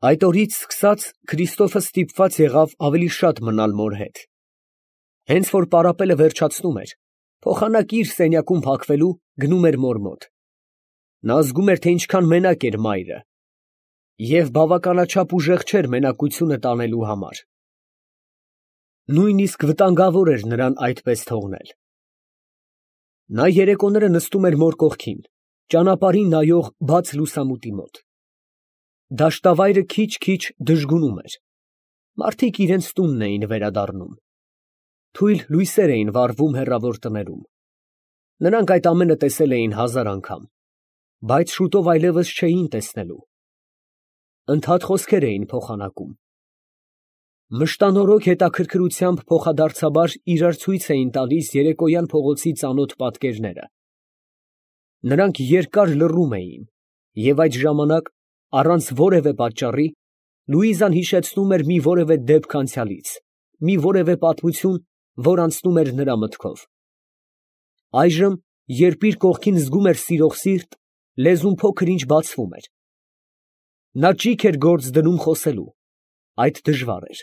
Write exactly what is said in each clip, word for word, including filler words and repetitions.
Այդ օրից սկսած Քրիստոֆը ստիպված եղավ ավելի շատ մնալ մոր հետ. հենց որ պարապելը վերջացնում էր, փոխանակ իր սենյակում փակվելու, գնում էր մոր մոտ. նա զգում էր, թե ինչքան մենակ էր մայրը, և բավականաչափ ուժեղ չէր մենակությունը տանելու համար. նույնիսկ վտանգավոր էր նրան այդպես թողնել. նա երեկոները նստում էր մոր կողքին, ճանապարհին նայող բաց լուսամուտի մոտ. դաշտավայրը քիչ֊քիչ դժգունում էր, մարդիկ իրանց տունն էին վերադառնում, թույլ լույսեր էին վառվում հեռավոր տներում, նրանք այդ ամենը տեսել էին հազար անգամ, բայց շուտով այլևս չէին տեսնելու, ընդհատ խոսքեր էին փոխանակում, մշտանորոգ հետաքրքրությամբ փոխադարձաբար իրար ցույց էին տալիս երեկոյան փողոցի ծանոթ պատկերները, նրանք երկար լռում էին, և այդ ժամանակ, առանց որևէ պատճառի, Լուիզան հիշեցնում էր մի որևէ դեպք անցյալից, մի որևէ պատմություն, որ անցնում էր նրա մտքով. այժմ, երբ իր կողքին զգում էր սիրող սիրտ, լեզուն փոքր ինչ բացվում էր, նա ճիգ էր գործ դնում խոսելու, այդ դժվար էր,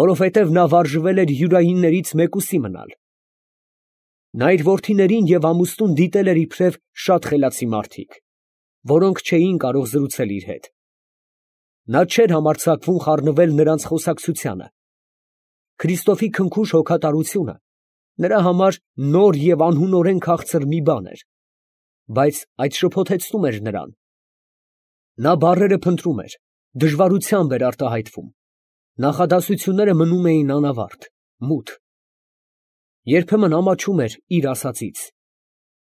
որովհետև նա վարժվել էր յուրայիններից մեկուսի մնալ, նա իր որդիներին և ամուսնուն դիտել էր իբրև շատ խելացի մարդիկ, որոնք չէին կարող զրուցել իր հետ, նա չէր համարձակվում խառնվել նրանց խոսակցությանը, Քրիստոֆի քնքուշ հոգատարությունը նրա համար նոր և անհունորեն քաղցր մի բան էր, բայց այդ շփոթեցնում էր նրան, նա բառերը փնտրում էր, դժվարությամբ էր արտահայտվում, նախադասությունները մնում էին անավարտ, մութ, երբեմն ամաչում էր իր ասածից,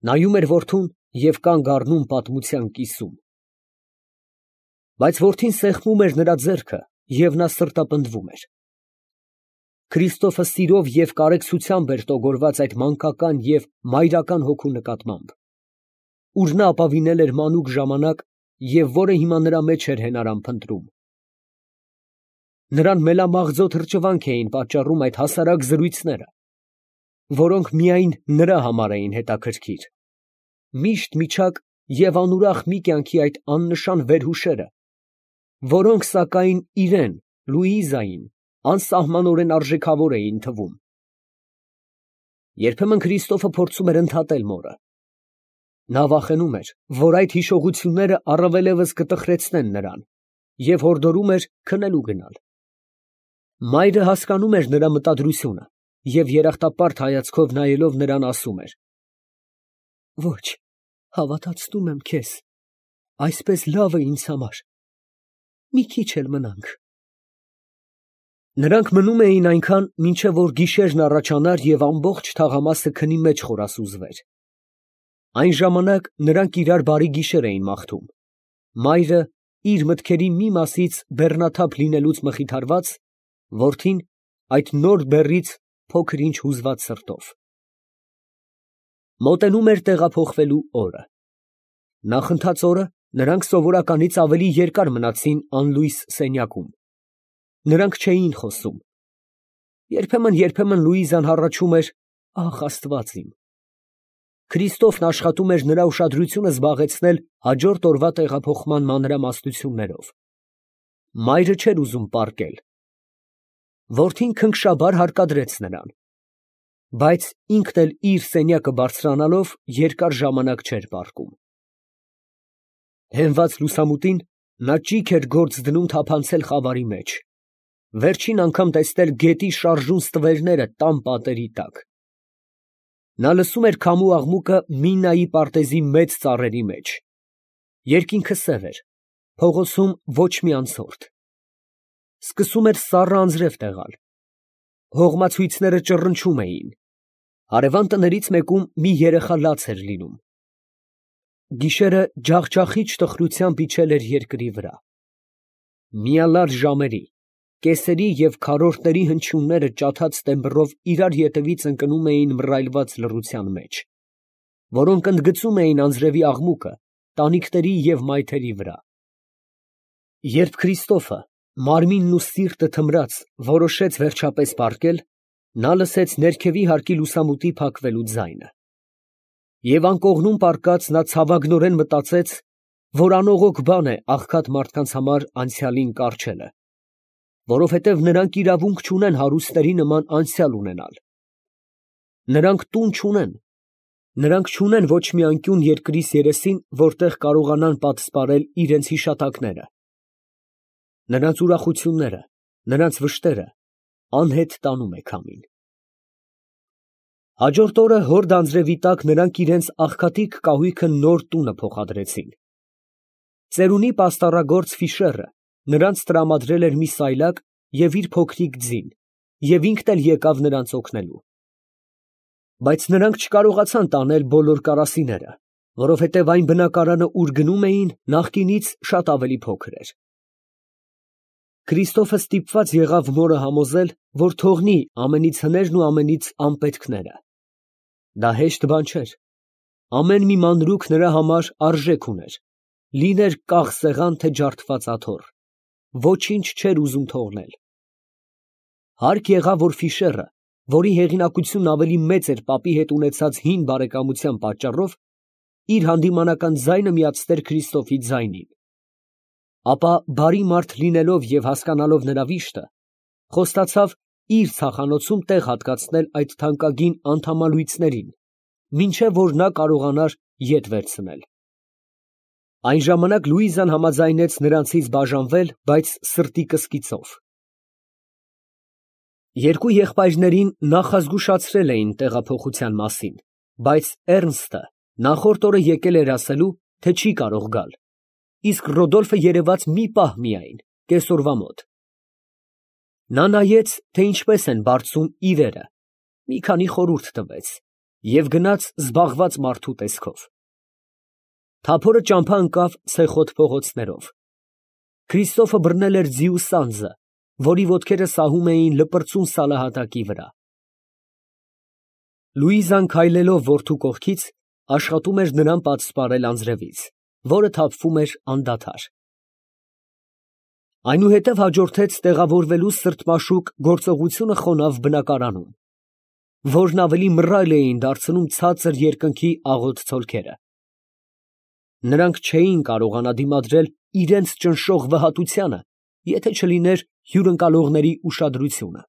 նայում էր որդուն և կանգ առնում պատմության կիսում, բայց որդին սեղմում էր նրա ձեռքը և նա սրտապնդվում էր, Քրիստոֆը սիրով և կարեկցությամբ էր տոգորված այդ մանկական և մայրական հոգու նկատմամբ, ուր նա ապավինել էր մանուկ ժամանակ և որը հիմա նրա մեջ էր հենարան փնտրում, նրան մելամաղձո թրջվանք էին պատճառում այդ հասարակ զրույցները, որոնք միայն նրա համար էին հետաքրքիր, միշտ միջակ և անուրախ մի կյանքի այդ աննշան վերհուշերը, որոնք, սակայն, իրան, Լուիզային, անսահմանորեն արժեքավոր էին թվում. երբեմն Քրիստոֆը փորձում էր ընդհատել մորը, նա վախենում էր, որ այդ հիշողությունները առավելևս կտխրեցնեն նրան և հորդորում էր քնելու գնալ, մայրը հասկանում էր նրա մտադրությունը և երախտապարտ հայացքով նայելով նրան ասում էր. ոչ, հավատացնում եմ քեզ, այսպես լավ է ինձ համար, մի քիչ էլ մնանք, նրանք մնում էին այնքան, մինչև որ գիշերն առաջանար և ամբողջ թաղամասը քնի մեջ խորասուզվեր, այն ժամանակ նրանք իրար բարի գիշեր էին մաղթում, մայրը իր մտքերի մի մասից բեռնաթափ լինելուց մխիթարված, որդին այդ նոր բեռից փոքր ինչ հուզված սրտով, մոտենում էր տեղափոխվելու օրը, նախընթաց օրը նրանք սովորականից ավելի երկար մնացին անլույս սենյակում, նրանք չէին խոսում, երբեմն֊երբեմն Լուիզան հառաչում էր. ախ, Աստված իմ, Քրիստոֆն աշխատում էր նրա ուշադրությունը զբաղեցնել հաջորդ օրվա տեղափոխման մանրամասնություններով, մայրը չէր ուզում պառկել, որդին քնքշաբար հարկադրեց նրան, բայց ինքն էլ իր սենյակը բարձրանալով երկար ժամանակ չէր պառկում, հենված լուսամուտին նա ճիգ էր գործ դնում թափանցել խավարի մեջ, վերջին անգամ տեսնել գետի շարժուն ստվերները տան պատերի տակ, նա լսում էր քամու աղմուկը Մինայի պարտեզի մեծ ծառերի մեջ, երկինքը սև էր, փողոցում ոչ մի անցորդ, սկսում էր սառը անձրև տեղալ, հողմացույցները ճռնչում էին, հարևան տներից մեկում մի երեխա լաց էր լինում, գիշերը ջախջախիչ տխրությամբ իջել էր երկրի վրա, միալար ժամերի, կեսերի և քառորդների հնչյունները ջաթած տեմբրով իրար ետևից ընկնում էին մռայլված լռության մեջ, որոնք ընդգծում էին անձրևի աղմուկը տանիքների և մայթերի վրա, երբ Քրիստոֆը, մարմինն ու սիրտը թմրած, որոշեց վերջապես պառկել, նա լսեց ներքևի հարկի լուսամուտի փակվելու ձայնը, և անկողնում պառկած նա ցավագնորեն մտածեց, որ անողոք բան է աղքատ մարդկանց համար անցյալին կառչելը, որովհետև նրանք իրավունք չունեն հարուստների նման անցյալ ունենալ. նրանք տուն չունեն, նրանք չունեն ոչ մի անկյուն երկրիս երեսին, որտեղ կարողանան պատսպարել իրենց հիշատակները. նրանց ուրախությունները, նրանց վշտերը անհետ տանում է քամին։ Հաջորդ օրը հոր դանձրևի տակ նրանք իրենց աղքատիկ կահույքը նոր տունը փոխադրեցին։ Ծերունի պաստառագործ Ֆիշերը նրանց տրամադրել էր մի սայլակ և իր փոքրիկ ձին, և ինքն էլ եկավ նրանց օգնելու։ Բայց նրանք չկարողացան տանել բոլոր կարասիները, որովհետև այն բնակարանը, ուր գնում էին, նախկինից շատ ավելի փոքր էր։ Քրիստոֆը ստիպված եղավ մորը համոզել, որ թողնի ամենից հներն ու ամենից անպետքները։ Դա հեշտ բան չէր։ Ամեն մի մանրուք նրա համար արժեք ուներ, լիներ կաղ սեղան, թե ջարդված աթոռ, ոչինչ չէր ուզում թողնել։ Հարկ եղավ, որ Ֆիշերը, որի հեղինակությունն ավելի մեծ էր պապի հետ ունեցած հին բարեկամության պատճառով, իր հանդիմանական ձայնը միացներ Քրիստոֆի ձայնին։ Ապա բարի մարդ լինելով և հասկանալով նրա վիշտը, խոստացավ իր ցախանոցում տեղ հատկացնել այդ թանկագին անդամալույծներին, մինչև որ նա կարողանար ետ վերցնել։ Այն ժամանակ Լուիզան համաձայնեց նրանցից բաժանվել, բայց սրտի կսկիծով։ Երկու եղբայրներին նախազգուշացրել էին տեղափոխության մասին, բայց Էռնստը նախորդ օրը եկել էր ասելու, թե չի կարող գալ, իսկ Ռոդոլֆը երևաց մի պահ միայն, կեսօրվա մոտ։ Նա նայեց, թե ինչպես են բարձում իրերը, մի քանի խորհուրդ տվեց և գնաց զբաղված մարդու տեսքով։ Թափորը ճամփա ընկավ ցեխոտ փողոցներով։ Քրիստոֆը բռնել էր ձիու սանձը, որի ոտքերը սահում էին լպրծուն սալահատակի վրա։ Լուիզան քայլելով որդու կողքից, աշխատում էր նրան պատսպարել անձրևից, որը թափվում էր անդադար։ Այնուհետև հաջորդեց տեղավորվելու սրտմաշուկ գործողությունը խոնավ բնակարանում, որն ավելի մռայլ էին դարձնում ցածր երկնքի աղոտ ցոլքերը։ Նրանք չէին կարողանա դիմադրել իրենց ճնշող վհատությանը, եթե չլիներ հյուրընկալողների ուշադրությունը։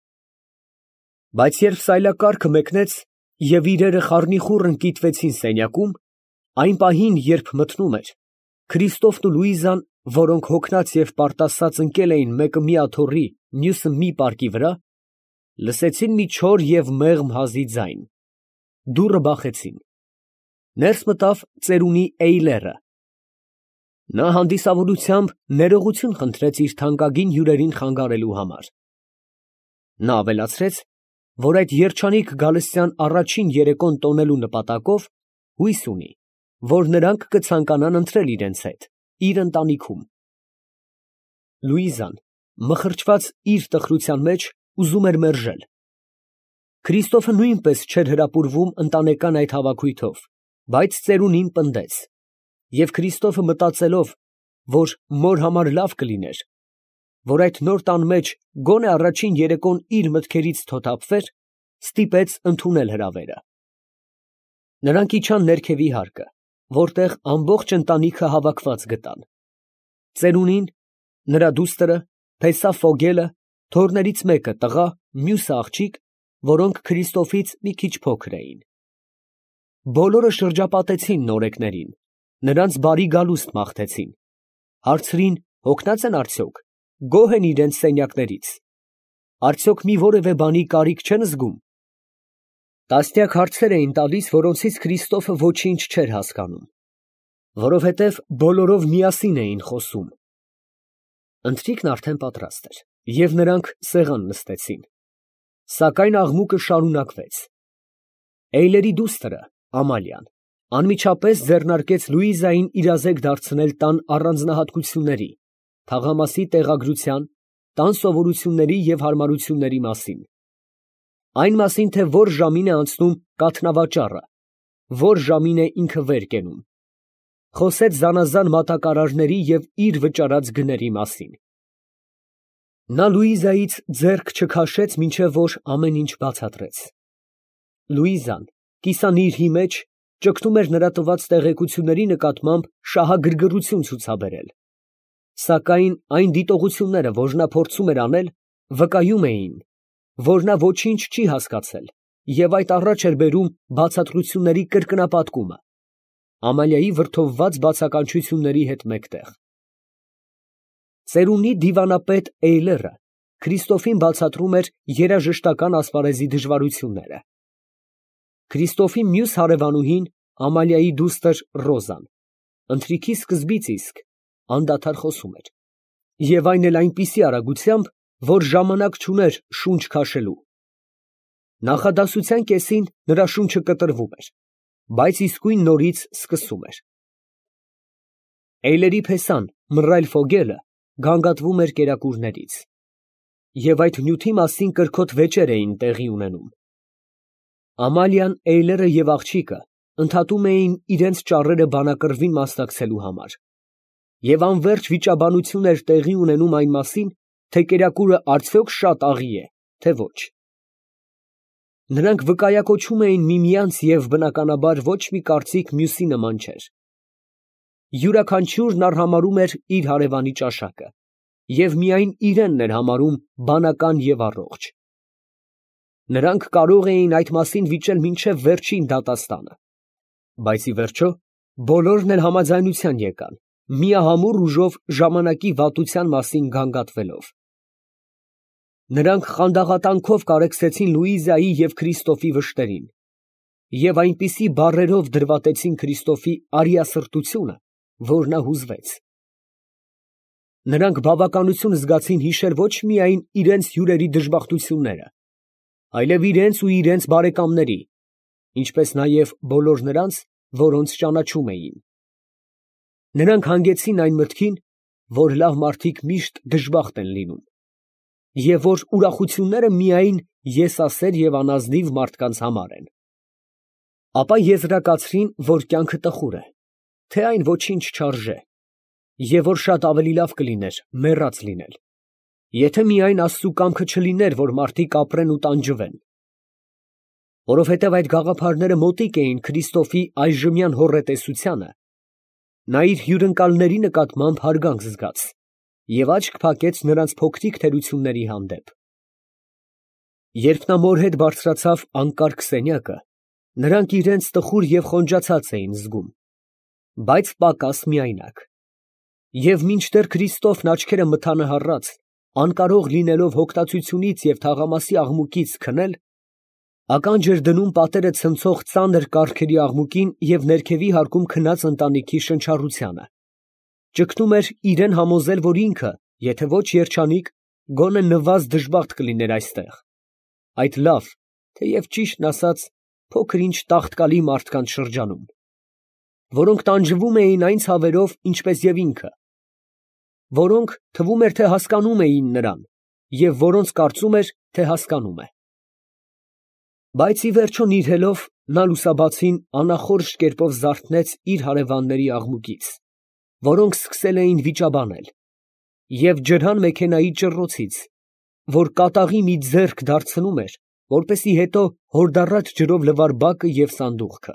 Բայց երբ սայլակառքը մեկնեց և իրերը խառնիխուռ ընկիտվեցին սենյակում, այն պահին, երբ մթնում էր, Քրիստոֆն ու Լուիզան, որոնք հոգնած և պարտասած ընկել էին մեկը մի աթոռի, մյուսը մի պարկի վրա, լսեցին մի չոր և մեղմ հազի ձայն։ Դուռը բախեցին։ Ներս մտավ ծերունի Էյլերը։ Նա հանդիսավորությամբ ներողություն խնդրեց իր թանկագին հյուրերին խանգարելու համար։ Նա ավելացրեց, որ այդ երջանիկ գալստյան առաջին երեկոն տոնելու նպատակով հույս ունի, որ նրանք կցանկանան ընտրել իրենց հետ իր ընտանիքում։ Լուիզան, մխրճված իր տխրության մեջ, ուզում էր մերժել։ Քրիստոֆը նույնպես չէր հրապուրվում ընտանեկան այդ հավաքույթով, բայց ծերունին պնդեց, և Քրիստոֆը մտածելով, որ մոր համար լավ կլիներ, որ այդ նոր տան մեջ գոնե առաջին երեկոն իր մտքերից թոթափվեր, ստիպեց ընդունել հրավերը։ Նրանք իջան ներքևի հարկը, որտեղ ամբողջ ընտանիքը հավաքված գտան. ծերունին, նրա դուստրը, փեսա Ֆոգելը, թոռներից մեկը տղա, մյուսը աղջիկ, որոնք Քրիստոֆից մի քիչ փոքր էին։ Բոլորը շրջապատեցին նորեկներին, նրանց բարի գալուստ մաղթեցին, հարցրին հոգնած են արդյոք, գոհ են իրենց սենյակներից, արդյոք մի որևէ բանի կարիք չեն զգում։ Տասնյակ հարցեր էին տալիս, որոնցից Քրիստոֆը ոչինչ չէր հասկանում, որովհետև բոլորով միասին էին խոսում։ Ընթրիքն արդեն պատրաստ էր, և նրանք սեղան նստեցին, սակայն աղմուկը շարունակվեց։ Էյլերի դուստրը, Ամալիան, անմիջապես ձեռնարկեց Լուիզային իրազեկ դարձնել տան առանձնահատկությունների, թաղամասի տեղագրության, տան սովորությունների և հարմարությունների մասին, այն մասին, թե որ ժամին է անցնում կաթնավաճառը, որ ժամին է ինքը վեր կենում, խոսեց զանազան մատակարարների և իր վճարած գների մասին։ Նա Լուիզայից ձեռք չքաշեց, մինչև որ ամեն ինչ բացատրեց։ Լուիզան, կիսանիրհի մեջ, ճգնում էր նրա տված տեղեկությունների նկատմամբ շահագրգռություն ցուցաբերել, սակայն այն դիտողությունները, որ նա փորձում էր անել, վկայում էին, որ նա ոչինչ չի հասկացել և այդ առաջ էր բերում բացատրությունների կրկնապատկումը, Ամալիայի վրդովված բացականչությունների հետ մեկտեղ։ Ծերունի դիվանապետ Էյլերը Քրիստոֆին բացատրում էր երաժշտական ասպարեզի դժվարությունները։ Քրիստոֆի մյուս հարևանուհին Ամալիայի դուստր Ռոզան ընթրիքի սկզբից իսկ անդադար խոսում էր, և այն էլ այնպիսի արագությամբ, որ ժամանակ չուներ շունչ քաշելու։ Նախադասության կեսին նրա շունչը կտրվում էր, բայց իսկույն նորից սկսում էր։ Էյլերի փեսան մռայլ ֆոգելը գանգատվում էր կերակուրներից, և այդ նյութի մասին կրքոտ վեճեր էին տեղի ունենում։ Ամալիան, Էյլերը և աղջիկը ընդհատում էին իրենց ճառերը բանակռվին մասնակցելու համար, և անվերջ վիճաբանություն էր տեղի ունենում այն մասին, թե կերակուրը արդյոք շատ աղի է, թե ոչ։ Նրանք վկայակոչում էին միմյանց և, բնականաբար, ոչ մի կարծիք մյուսի նման չէր։ Յուրաքանչյուրն արհամարհում էր իր հարևանի ճաշակը և միայն իրենն էր համարում բանական և առողջ։ Նրանք կարող էին այդ մասին վիճել մինչև վերջին դատաստանը, բայց ի վերջո բոլորն էլ համաձայնության եկան, միահամուռ ուժով ժամանակի վատության մասին գանգատվելով։ Նրանք խանդաղատանքով կարեկցեցին Լուիզայի և Քրիստոֆի վշտերին և այնպիսի բառերով դրվատեցին Քրիստոֆի արիասրտությունը, որ նա հուզվեց։ Նրանք բավականություն զգացին հիշել ոչ միայն իրենց հյուրերի դժբախտությունները, այլև իրենց ու իրենց բարեկամների, ինչպես նաև բոլոր նրանց, որոնց ճանաչում էին։ Նրանք հանգեցին այն մտքին, որ լավ մարդիկ միշտ դժբախտ են լինում, և որ ուրախությունները միայն եսասեր և անազնիվ մարդկանց համար են։ Ապա եզրակացրին, որ կյանքը տխուր է, թե այն ոչինչ չարժե, և որ շատ ավելի լավ կլիներ մեռած լինել, եթե միայն Աստծու կամքը չլիներ, որ մարդիկ ապրեն ու տանջվեն։ Որովհետև այդ գաղափարները մոտիկ էին Քրիստոֆի այժմյան հոռետեսությանը, նա իր հյուրընկալների նկատմամբ հարգանք զգաց և աչք փակեց նրանց փոքրիկ թերությունների հանդեպ։ Երբ նա մոր հետ բարձրացավ անկարգ սենյակը, նրանք իրենց տխուր և խոնջացած էին զգում, բայց պակաս միայնակ։ Եվ մինչդեռ Քրիստոֆն աչքերը մթանահառած, անկարող լինելով հոգտացությունից և թաղամասի աղմուկից քնել, ականջ էր դնում պատերը ցնցող ծանր կառքերի աղմուկին և ներքևի հարկում քնած ընտանիքի շնչառությանը, ճգնում էր իրան համոզել, որ ինքը, եթե ոչ երջանիկ, գոնե նվազ դժբախտ կլիներ այստեղ, այդ լավ, թեև ճիշտն ասած, փոքր ինչ տաղտկալի մարդկանց շրջանում, որոնք տանջվում էին այն ցավերով, ինչպես և ինքը, որոնք, թվում էր, թե հասկանում էին նրան, և որոնց կարծում էր, թե հասկանում է։ Բայց ի վերջո նիրհելով, նա լուսաբացին անախորժ կերպով զարթնեց իր հարևանների աղմուկից, որոնք սկսել էին վիճաբանել, և ջրհան մեքենայի ճռռոցից, որ կատաղի մի ձեռք դարձնում էր, որպեսզի հետո հորդառատ ջրով լվար բակը և սանդուղքը։